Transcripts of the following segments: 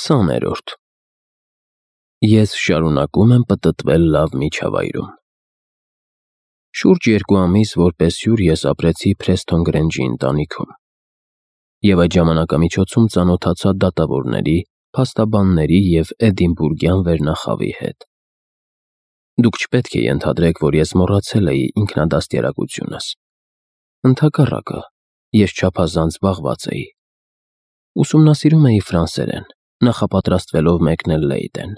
20-րդ Ես շարունակում եմ պտտվել լավ միջավայրում։ Շուրջ 2 ամիս որպես հյուր ես ապրեցի Փրեսթոն Գրենջի ընտանիքում և այդ ժամանակամիջոցում ծանոթացա դատավորների, փաստաբանների և Էդինբուրգյան վերնախավի հետ։ Դուք չպետք է ենթադրեք, որ ես մոռացել էի ինքնադաստիարակությունս։ Ընդհակառակը, ես չափազանց զբաղված էի։ Ուսումնասիրում էի ֆրանսերեն, նախապատրաստվելով մեկնել Լեյդեն։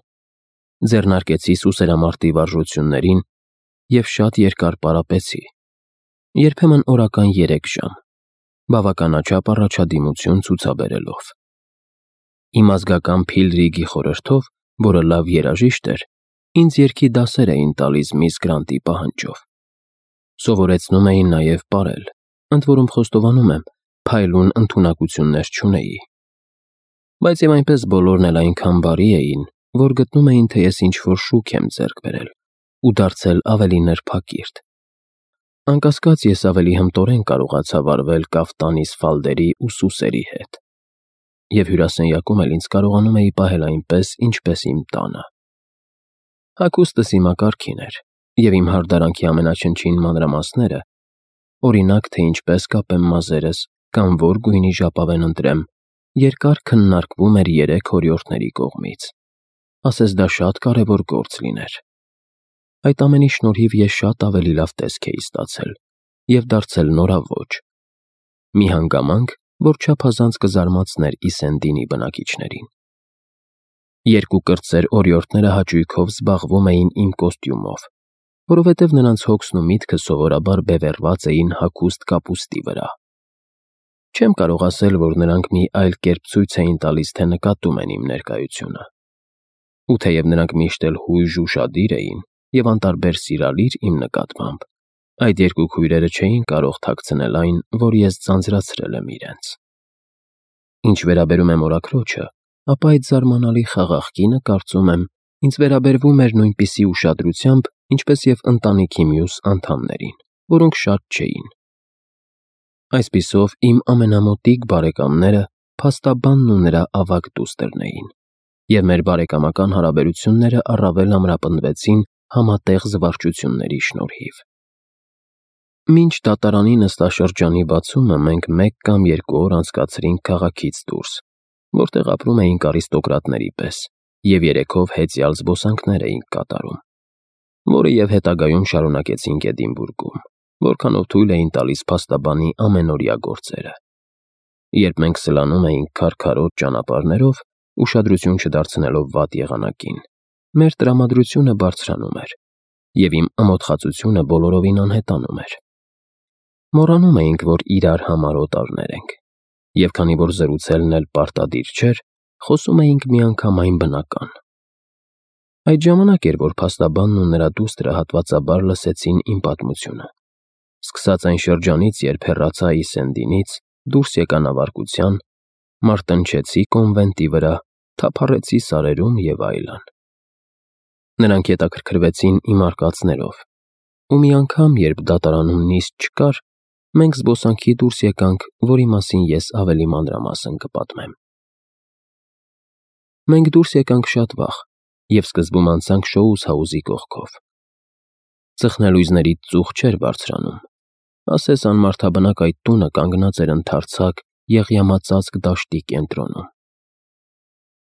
Ձեռնարկեցի սուսերամարտի վարժություններին և շատ երկար պարապեցի, երբեմն օրական 3 ժամ, բավականաչափ առաջադիմություն ցուցաբերելով։ Իմ ազգական Փիլրիգի խորհրդով, որը լավ երաժիշտ էր, ինձ երգի դասեր էին տալիս միս Գրանտի պահանջով։ Սովորեցնում էին նաև պարել, ընդ որում խոստովանում եմ, փայլուն ընդունակություններ չունեի։ Բայց և այնպես բոլորն էլ այնքան բարի էին, որ գտնում էին, թե ես ինչ-որ շուք եմ ձեռք բերել ու դարձել ավելի նրբակիրթ։ Անկասկած, ես ավելի հմտորեն կարողացա վարվել կաֆտանիս ֆալդերի ու սուսերի հետ, և հյուրասենյակում էլ ինձ կարողանում էի պահել այնպես, ինչպես իմ տանը։ Հագուստս իմակարգին էր, և իմ հարդարանքի ամենաչնչին մանրամասները, օրինակ, թե ինչպես կապեմ մազերս կամ որ գույնի ժապավեն ընտրեմ, երկար քննարկվում էր 3 հորիորդների կողմից, ասես դա շատ կարևոր գործ լիներ։ Այդ ամենի շնորհիվ ես շատ ավելի լավ տեսք էի ստացել և դարձել նորաոճ, մի հանգամանք, որ չափազանց կզարմացներ Իսենդինի բնակիչներին։ 2 կրտսեր օրիորդները հաճույքով զբաղվում էին իմ կոստյումով, որովհետև նրանց հոգսն ու միտքը սովորաբար բևեռված էին հագուստ կապուստի վրա։ Չեմ կարող ասել, որ նրանք մի այլ կերպ ցույց էին տալիս, թե նկատում են իմ ներկայությունը։ Ու թեև նրանք միշտ էլ հույժ ու շադիր էին և անտարբեր սիրալիր իմ նկատմամբ, այդ 2 քույրերը չէին կարող թաքցնել այն, որ ես ձանձրացրել եմ իրենց։ Ինչ վերաբերում է մորաքրոջը, ապա այդ զարմանալի խաղաղ կինը, կարծում եմ, ինձ վերաբերվում էր նույնպիսի ուշադրությամբ, ինչպես և ընտանիքի մյուս անդամներին, որոնք շատ չէին։ Այսպիսով, իմ ամենամոտիկ բարեկամները փաստաբանն ու նրա ավագ դուստրն էին, և մեր բարեկամական հարաբերությունները առավել ամրապնդվեցին համատեղ զվարճությունների շնորհիվ։ Մինչ դատարանի նստաշրջանի բացումը մենք 1 կամ 2 օր անցկացրինք քաղաքից դուրս, որտեղ ապրում էինք արիստոկրատների պես և երեքով հեծյալ զբոսանքներ էինք կատարում, որը և հետագայում շարունակեցինք Էդինբուրգում, որքանով թույլ էին տալիս փաստաբանի ամենօրյա գործերը։ Երբ մենք սլանում էինք քարքարոտ ճանապարհներով, ուշադրություն չդարձնելով վատ եղանակին, մեր տրամադրությունը բարձրանում էր, և իմ ամոթխածությունը բոլորովին անհետանում էր։ Մոռանում էինք, որ իրար համար օտարներ ենք, և քանի որ զրուցելն էլ պարտադիր չէր, խոսում էինք միանգամայն բնական։ Այդ ժամանակ էր, որ փաստաբանն ու նրա դուստրը հատվածաբար լսեցին իմ պատմությունը։ Սկսած այն շրջանից, երբ հեռացա Իսենդինից, դուրս եկա նավարկության, մարտնչեցի կոնվենտի վրա, թափառեցի սարերում և այլն։ Նրանք հետաքրքրվեցին իմ արկածներով, ու մի անգամ, երբ դատարանում նիստ չկար, մենք զբոսանքի դուրս եկանք, որի մասին ես ավելի մանրամասն կպատմեմ։ Մենք դուրս եկանք շատ վաղ և սկզբում անցանք Շոուս-հաուսի կողքով։ Ծխնելույզներից ծուխ չէր բարձրանում, ասես անմարդաբնակ այդ տունը կանգնած էր ընդարձակ, եղյամածածկ դաշտի կենտրոնում։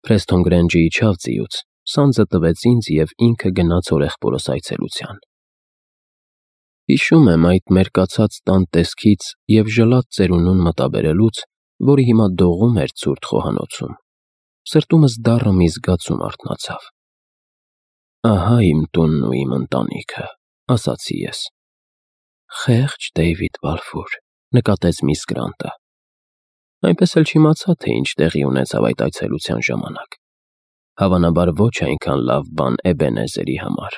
Փրեսթոն Գրենջը իջավ ձիուց, սանձը տվեց ինձ և ինքը գնաց հորեղբորս այցելության։ Հիշում եմ այդ մերկացած տան տեսքից և ժլատ ծերունուն մտաբերելուց, որը հիմա դողում էր ցուրտ խոհանոցում, սրտումս դառը մի զգացում արթնացավ։ «Ահա իմ տունն ու իմ ընտանիքը», ասացի ես։ «Խեղճ Դեյվիդ Բալֆոր», նկատեց միս Գրանտը։ Այնպես էլ չիմացա, թե ինչ տեղի ունեցավ այդ այցելության ժամանակ։ Հավանաբար ոչ այնքան լավ բան Էբենեզերի համար,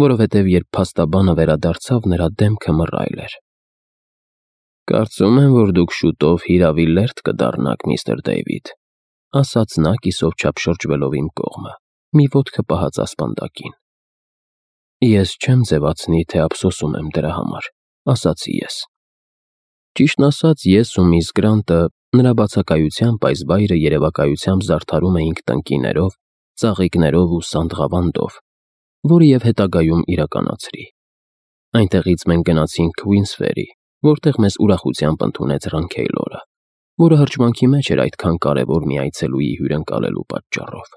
որովհետև երբ փաստաբանը վերադարձավ, նրա դեմքը մռայլ էր։ «Կարծում եմ, որ դուք շուտով հիրավի լերդ կդառնաք, միստր Դեյվիդ», ասաց նա կիսով չափ շրջվելով իմ կողմը, մի ոտքը պահած ասպանդակին։ «Ես չեմ ձևացնի, թե ափսոսում եմ դրա համար», ասացի ես։ Ճիշտն ասած, ես ու միս Գրանտը նրա բացակայությամբ այս վայրը երևակայությամբ զարդարում էինք տնկիներով, ծաղիկներով ու սանդղավանդով, որը և հետագայում իրականացրի։ Այնտեղից մենք գնացինք Քվինսֆերի, որտեղ մեզ ուրախությամբ ընդունեց Ռանքեյլորը, որը հրճվանքի մեջ էր այդքան կարևոր մի այցելուի հյուրընկալելու պատճառով։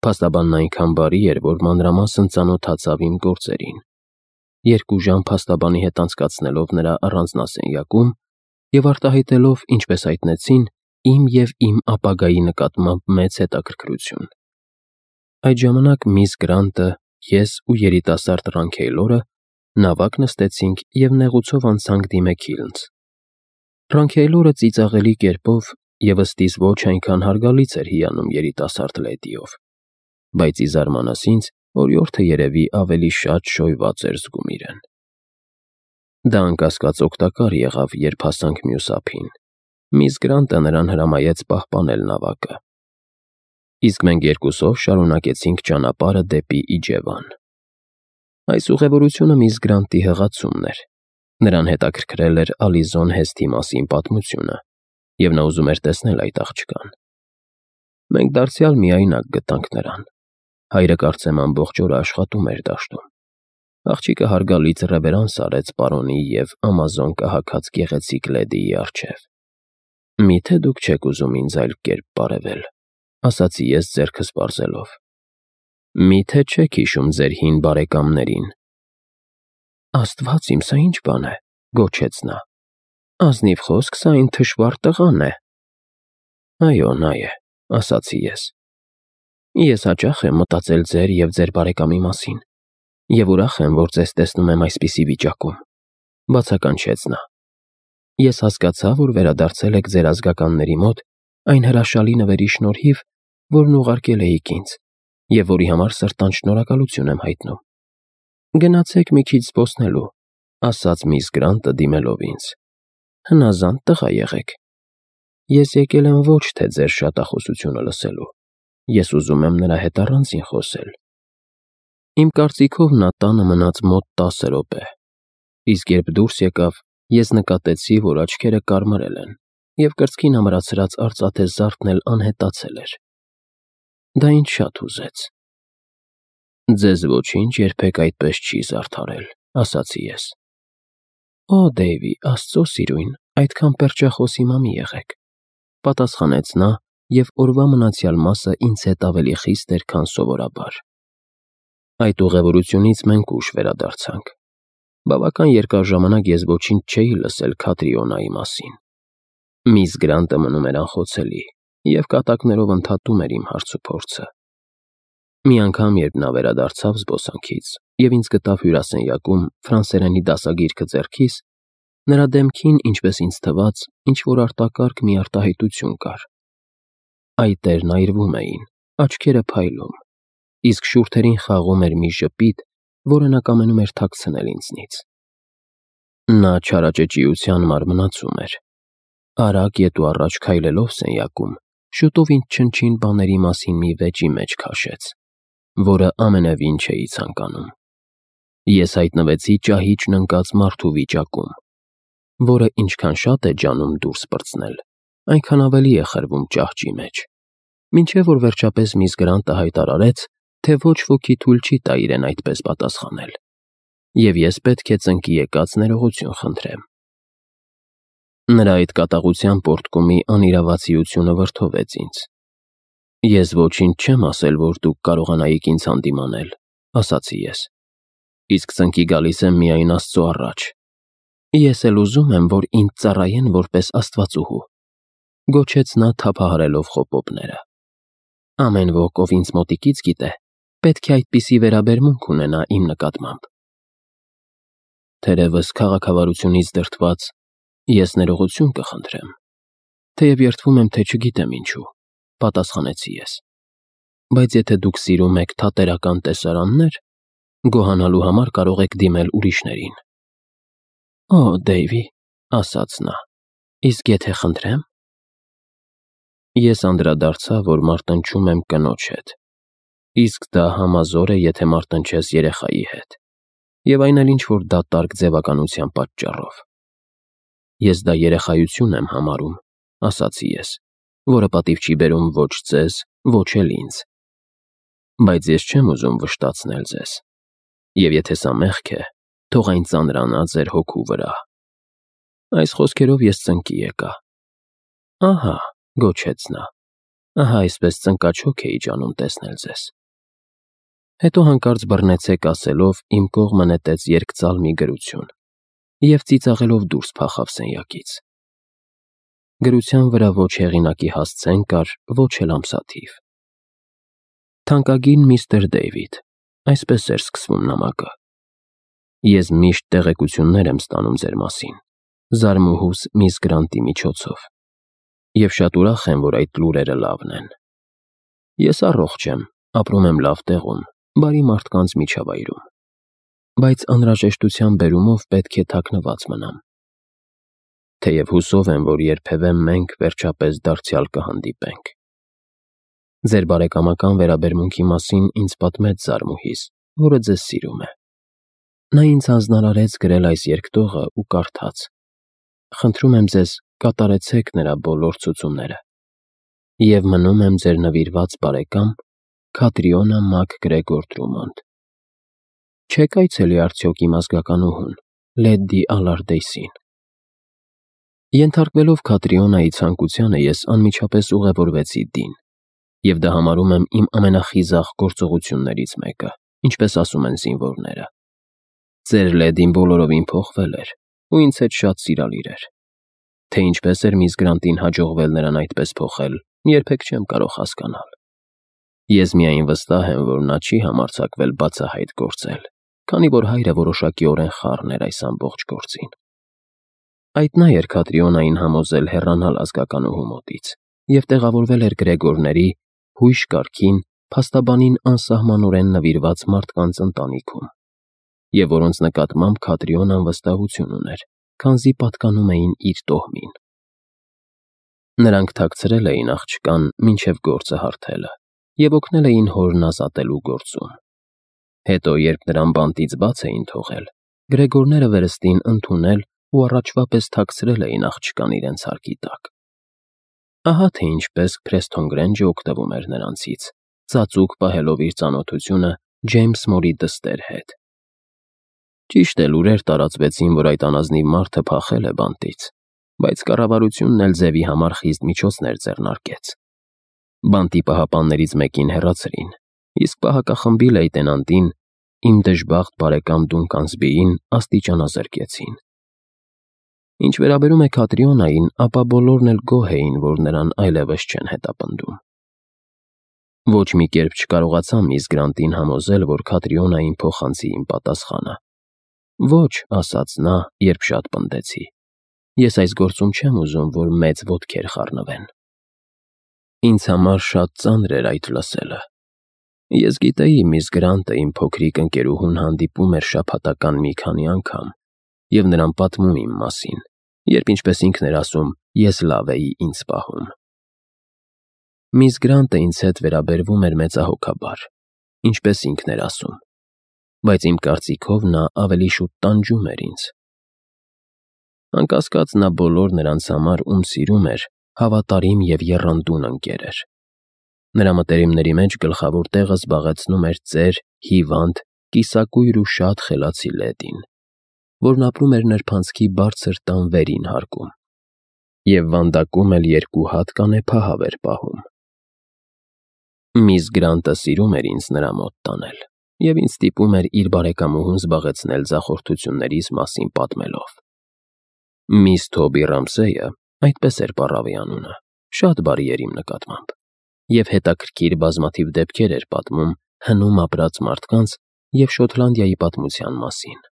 Փաստաբանն այնքան բարի էր, որ մանրամասն ծանոթացավ իմ գործերին։ 2 ժամ փաստաբանի հետ անցկացնելով նրա առանձնասենյակում և արտահայտելով, ինչպես հայտնեցին, իմ և իմ ապագայի նկատմամբ մեծ հետաքրքրություն։ Այդ ժամանակ միս Գրանտը, ես ու երիտասարդ Ռանքեյլորը նավակ նստեցինք և նեղուցով անցանք Դիմեքիլնձ։ Ռանքեյլորը ծիծաղելի կերպով և ըստիս ոչ այնքան հարգալից էր հիանում երիտասարդ լեդիով, բայց ի զարմանս ինձ, օրիորդը երևի ավելի շատ շոյված էր զգում իրեն։ Դա անկասկած օգտակար եղավ, երբ հասանք մյուս ափին։ Միս Գրանտը նրան հրամայեց պահպանել նավակը։ Իսկ մենք երկուսով շարունակեցինք ճանապարհը դեպի Իջևան։ Այս ուղևորությունը միս Գրանտի հղացումն էր։ Նրան հետաքրքրել էր Ալիզոն Հեսթի մասին պատմությունը, և նա ուզում էր տեսնել այդ աղջկան։ Մենք դարձյալ միայնակ գտանք նրան։ Հայրը կարծեմ ամբողջ օրը աշխատում էր դաշտում։ Աղջիկը հարգալից ռևերանս արեց պարոնի և Ամազոն կահագած գեղեցիկ լեդիի առջև։ «Միթե դուք չեք ուզում ինձ այլ կերպ բարևել», ասացի ես ձեռքս պարզելով։ «Միթե չեք հիշում ձեր հին բարեկամներին»։ Աստված իմ, սա ի՞նչ բան է, գոչեց նա։ Ազնիվ խոսք, սա այն թշվառ տղան է։ Այո, նա է, ասացի ես։ Ես հաճախ եմ մտածել ձեր և ձեր բարեկամի մասին, և ուրախ եմ, որ ձեզ տեսնում եմ այսպիսի վիճակում, բացականչեց նա։ Ես հասկացա, որ վերադարձել եք ձեր ազգականների մոտ այն հրաշալի նվերի շնորհիվ, որն ուղարկել էիք ինձ, և որի համար սրտան շնորհակալություն եմ հայտնում։ Գնացեք մի քիչ զբոսնելու, ասաց միս Գրանտը դիմելով ինձ։ Հնազանդ տղա եղեք։ Ես եկել եմ ոչ թե ձեր շատախոսությունը լսելու, ես ուզում եմ նրա հետ առանձին խոսել։ Իմ կարծիքով նա տանը մնաց մոտ 10 րոպե, իսկ երբ դուրս եկավ, ես նկատեցի, որ աչքերը կարմրել են, և կրծքին ամրացրած արծաթե զարդն էլ անհետացել էր։ Դա ինձ շատ հուզեց։ Ձեզ ոչինչ երբեք այդպես չի զարդարել, ասացի ես։ Օ, Դեյվի, Աստծո սիրուն, այդքան պերճախոս հիմա մի եղեք, պատասխանեց նա, և օրվա մնացյալ մասը ինձ հետ ավելի խիստ էր, քան սովորաբար։ Այդ ուղևորությունից մենք ուշ վերադարձանք։ Բավական երկար ժամանակ ես ոչինչ չէի լսել Քատրիոնայի մասին։ Միս Գրանտը մնում էր անխոցելի և կատակներով ընդհատում էր իմ հարցուփորձը։ Մի անգամ, երբ նա վերադարձավ զբոսանքից և ինձ գտավ հյուրասենյակում ֆրանսերենի դասագիրքը ձեռքիս, նրա դեմքին, ինչպես ինձ թվաց, ինչ-որ արտակարգ մի արտահայտություն կար։ Այտերն այրվում էին, աչքերը փայլում, իսկ շուրթերին խաղում էր մի ժպիտ, որը նա կամենում էր թաքցնել ինձնից։ Նա չարաճճիության մարմնացում էր։ Արագ ետ ու առաջ քայլելով սենյակում, շուտով ինձ չնչին բաների մասին մի վեճի մեջ քաշեց, որը ամենևին չէի ցանկանում։ Ես հայտնվեցի ճահիճն ընկած մարդու վիճակում, որը ինչքան շատ է ջանում դուրս պրծնել, այնքան ավելի է խրվում ճահճի մեջ, մինչև որ վերջապես միս Գրանտը հայտարարեց, թե ոչ ոքի թույլ չի տա իրեն այդպես պատասխանել, և ես պետք է ծնկի եկած ներողություն խնդրեմ։ Նրա այդ կատաղության պոռթկումի անիրավացիությունը վրդովեց ինձ։ Ես ոչինչ չեմ ասել, որ դուք կարողանայիք ինձ հանդիմանել, ասացի ես։ Իսկ ծնկի գալիս եմ միայն Աստծո առաջ։ Ես էլ ուզում եմ, որ ինձ ծառայեն որպես աստվածուհու, գոչեց նա թափահարելով խոպոպները։ Ամեն ոք, ով ինձ մոտիկից գիտե, պետք է այդպիսի վերաբերմունք ունենա իմ նկատմամբ։ Թերևս քաղաքավարությունից դրդված ես ներողություն կխնդրեմ, թեև երդվում եմ, թե չգիտեմ ինչու, պատասխանեցի ես։ Բայց եթե դուք սիրում եք թատերական տեսարաններ, գոհանալու համար կարող եք դիմել ուրիշներին։ Օ, Դեյվի, ասաց նա, իսկ եթե խնդրեմ։ Ես անդրադարձա, որ մարտնչում եմ կնոջ հետ, իսկ դա համազոր է, եթե մարտնչես երեխայի հետ, և այն էլ ինչ-որ դատարկ ձևականության պատճառով։ Ես դա երեխայություն եմ համարում, ասացի ես, որը պատիվ չի բերում ոչ ձեզ, ոչ էլ ինձ։ Բայց ես չեմ ուզում վշտացնել ձեզ։ Եվ եթե սա մեղք է, թող այն ծանրանա ձեր հոգու վրա։ Այս խոսքերով ես ծնկի եկա։ Ահա, գոչեց նա, ահա այսպես ծնկաչոք էի ջանում տեսնել ձեզ։ Հետո հանկարծ բռնեցեք ասելով իմ կողմը նետեց երկծալ մի գրություն և ծիծաղելով դուրս փախավ սենյակից։ Գրության վրա ոչ հեղինակի հասցեն կար, ոչ էլ ամսաթիվ։ Թանկագին միստր Դեյվիդ, այսպես էր սկսվում նամակը։ Ես միշտ տեղեկություններ եմ ստանում ձեր մասին, զարմուհուս միս Գրանտի միջոցով, և շատ ուրախ եմ, որ այդ լուրերը լավն են։ Ես առողջ եմ, ապրում եմ լավ տեղում, բարի մարդկանց միջավայրում, բայց անհրաժեշտության բերումով պետք է թաքնված մնամ։ Թեև հուսով եմ, որ երբևէ մենք վերջապես դարձյալ կհանդիպենք։ Ձեր բարեկամական վերաբերմունքի մասին ինձ պատմեց Զարմուհիս, որը ձեզ սիրում է։ Նա ինձ հանձնարարեց գրել այս երկտողը ու կարդաց։ Խնդրում եմ ձեզ, կատարեցեք նրա բոլոր ցուցումները։ Եվ մնում եմ ձեր նվիրված բարեկամ Քատրիոնա Մակ-Գրեգոր Դրումոնդ։ Չեք այցելի արդյոք իմ ազգականուհուն, Լեդի Ալարդեյսին։ Ենթարկվելով Քատրիոնայի ցանկությանը, ես անմիջապես ուղևորվեցի Դին, և դա համարում եմ իմ ամենախիզախ գործողություններից մեկը, ինչպես ասում են զինվորները։ Ձեր Լեդին բոլորովին փոխվել էր, ու ինձ հետ շատ սիրալիր էր։ Թե ինչպես էր միս Գրանտին հաջողվել նրան այդպես փոխել, երբեք չեմ կարող հասկանալ։ Ես միայն վստահ եմ, որ նա չի համարձակվել բացահայտ գործել, քանի որ հայրը որոշակիորեն խառն էր այս ամբողջ գործին։ Այդ նա էր Քատրիոնային համոզել հեռանալ ազգականուհու մոտից և տեղավորվել էր Գրեգորների հույժ կարգին փաստաբանին անսահմանորեն նվիրված մարդկանց ընտանիքում, և որոնց նկատմամբ Քատրիոնան վստահություն ուներ, քանզի պատկանում էին իր տոհմին։ Նրանք թաքցրել էին աղջկան մինչև գործը հարթելը և օգնել էին հորն ազատելու գործում։ Հետո, երբ նրան բանտից բաց էին թողել, Գրեգորները վերստին ընդունել ու առաջվա պես թաքցրել էին աղջկան իրենց հարկի տակ։ Ահա թե ինչպես Փրեսթոն Գրենջը օգտվում էր նրանցից, ծածուկ պահելով իր ծանոթությունը Ջեյմս Մորի դստեր հետ։ Ճիշտ է, լուրեր տարածվեցին, որ այդ անազնիվ մարդը փախել է բանտից, բայց կառավարությունն էլ ձևի համար խիստ միջոցներ ձեռնարկեց։ Բանտի պահապաններից մեկին հեռացրին, իսկ պահակախմբի լեյտենանտին, իմ դժբախտ բարեկամ Դունկան Սբիին, աստիճանազրկեցին։ Ինչ վերաբերում է Քատրիոնային, ապա բոլորն էլ գոհ էին, որ նրան այլևս չեն հետապնդում։ Ոչ մի կերպ չկարողացա միս Գրանտին համոզել, որ Քատրիոնային փոխանցի իմ պատասխանը։ Ոչ, ասաց նա, երբ շատ պնդեցի։ Ես այս գործում չեմ ուզում, որ մեծ ոտքեր խառնվեն։ Ինձ համար շատ ծանր էր այդ լսելը։ Ես գիտեի, միս Գրանտը իմ փոքրիկ ընկերուհուն հանդիպում էր շաբաթական մի քանի անգամ և նրան պատմում իմ մասին, երբ, ինչպես ինքն էր ասում, ես լավ էի ինձ պահում։ Միս Գրանտը ինձ հետ վերաբերվում էր մեծահոգաբար, ինչպես ինքն էր ասում, բայց իմ կարծիքով նա ավելի շուտ տանջում էր ինձ։ Անկասկած, նա բոլոր նրանց համար, ում սիրում էր, հավատարիմ և եռանդուն ընկեր էր։ Նրա մտերիմների մեջ գլխավոր տեղը զբաղեցնում էր ծեր, հիվանդ, կիսակույր ու շատ խելացի Լեդին, որն ապրում էր նրբանցքի բարձր տան վերին հարկում և վանդակում էլ 2 հատ կանեփահավ էր պահում։ Միս Գրանտը սիրում էր ինձ նրա մոտ տանել և ինձ ստիպում էր իր բարեկամուհուն զբաղեցնել ձախորդություններիս մասին պատմելով։ Միս Թոբի Ռամսեյը, այդպես էր պառավի անունը, շատ բարի էր իմ նկատմամբ և հետաքրքիր բազմաթիվ դեպքեր էր պատմում հնում ապրած մարդկանց և Շոտլանդիայի պատմության մասին։